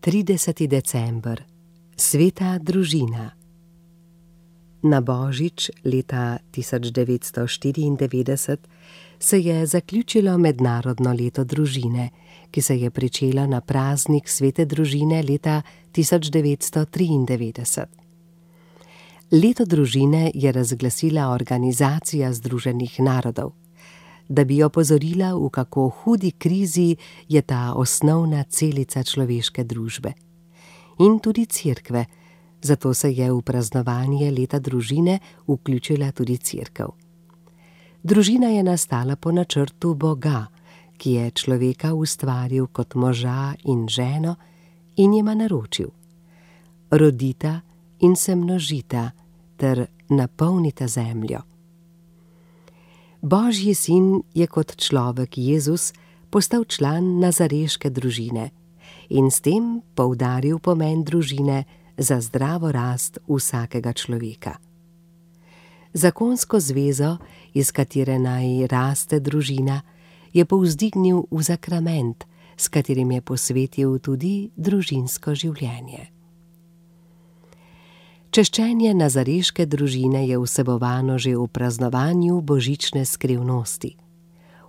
30. december. Sveta družina. Na božič leta 1994 se je zaključilo mednarodno leto družine, ki se je pričelo na praznik svete družine leta 1993. Leto družine je razglasila Organizacija združenih narodov, da bi opozorila, v kako hudi krizi je ta osnovna celica človeške družbe. In tudi cerkve, zato se je v praznovanje leta družine vključila tudi cerkev. Družina je nastala po načrtu Boga, ki je človeka ustvaril kot moža in ženo in jima naročil: rodita in se množita ter napolnita zemljo. Božji sin je kot človek Jezus postal član nazareške družine in s tem poudaril pomen družine za zdravo rast vsakega človeka. Zakonsko zvezo, iz katere naj raste družina, je povzdignil v zakrament, s katerim je posvetil tudi družinsko življenje. Češčenje nazareške družine je vsebovano že v praznovanju božične skrivnosti.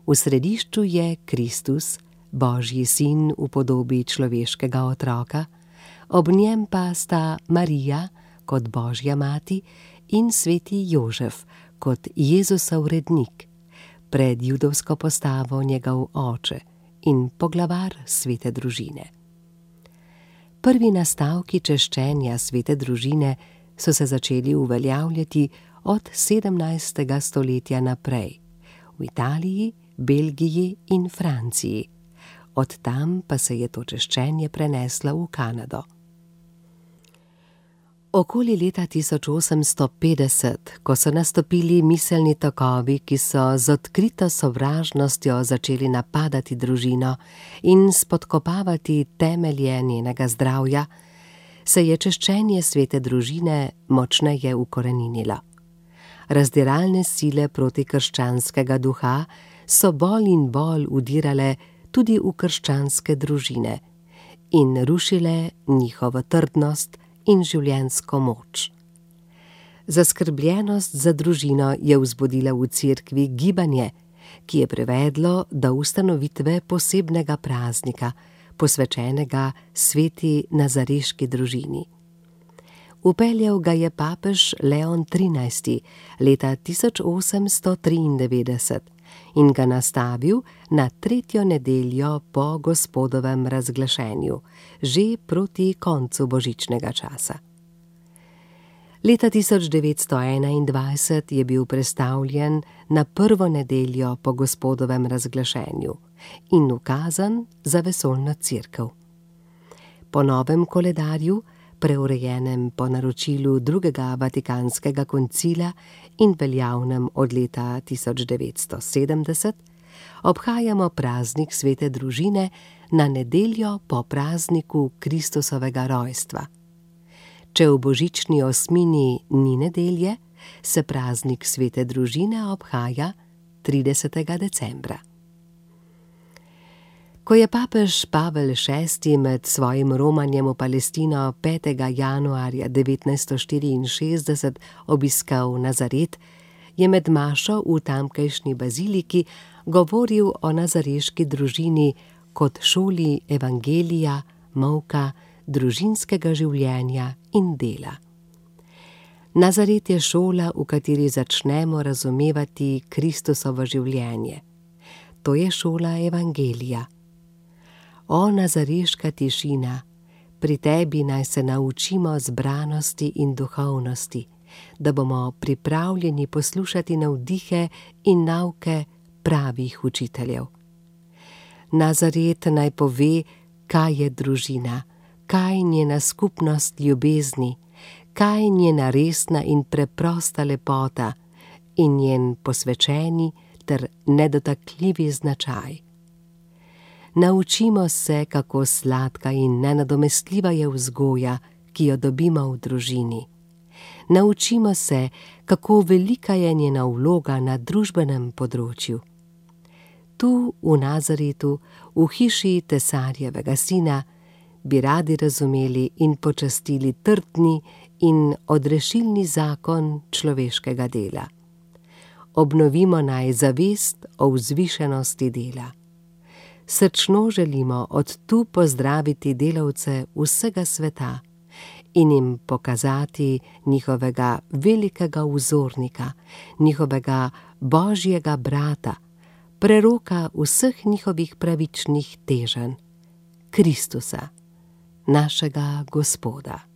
V središču je Kristus, Božji sin v podobi človeškega otroka, ob njem pa sta Marija kot Božja mati in sveti Jožef kot Jezusov rednik, pred judovsko postavo njegov oče in poglavar svete družine. Prvi nastavki češčenja svete družine so se začeli uveljavljati od 17. stoletja naprej v Italiji, Belgiji in Franciji. Od tam pa se je to češčenje preneslo v Kanado. Okoli leta 1850, ko so nastopili miselni tokovi, ki so z odkrito sovražnostjo začeli napadati družino in spodkopavati temelje njenega zdravja, se je češčenje svete družine močneje ukoreninilo. Razdiralne sile protikrščanskega duha so bolj in bolj vdirale tudi v krščanske družine in rušile njihovo trdnost in življenjsko moč. Zaskrbljenost za družino je vzbudila v cerkvi gibanje, ki je privedlo do ustanovitve posebnega praznika, posvečenega sveti nazareški družini. Vpeljal ga je papež Leon XIII. Leta 1893 in ga nastavil na 3. nedeljo po Gospodovem razglašenju, že proti koncu božičnega časa. Leta 1921 je bil prestavljen na 1. nedeljo po Gospodovem razglašenju in ukazan za vesoljno cerkev. Po novem koledarju, preurejenem po naročilu drugega Vatikanskega koncila in veljavnem od leta 1970, obhajamo praznik svete družine na nedeljo po prazniku Kristusovega rojstva. Če v božični osmini ni nedelje, se praznik svete družine obhaja 30. decembra. Ko je papež Pavel VI. Med svojim romanjem v Palestino 5. januarja 1964 obiskal Nazaret, je med mašo v tamkajšnji baziliki govoril o nazareški družini kot šoli evangelija, molka, družinskega življenja in dela. Nazaret je šola, v kateri začnemo razumevati Kristusovo življenje. To je šola evangelija. O nazareška tišina, pri tebi naj se naučimo zbranosti in duhovnosti, da bomo pripravljeni poslušati navdihe in nauke pravih učiteljev. Nazaret naj pove, kaj je družina, kaj njena skupnost ljubezni, kaj njena resna in preprosta lepota in njen posvečeni ter nedotakljivi značaj. Naučimo se, kako sladka in nenadomestljiva je vzgoja, ki jo dobimo v družini. Naučimo se, kako velika je njena vloga na družbenem področju. Tu v Nazaretu, v hiši Tesarjevega sina, bi radi razumeli in počastili trdni in odrešilni zakon človeškega dela. Obnovimo naj zavest o vzvišenosti dela. Srčno želimo od tu pozdraviti delavce vsega sveta in jim pokazati njihovega velikega vzornika, njihovega Božjega brata, preroka vseh njihovih pravičnih teženj, Kristusa, našega Gospoda.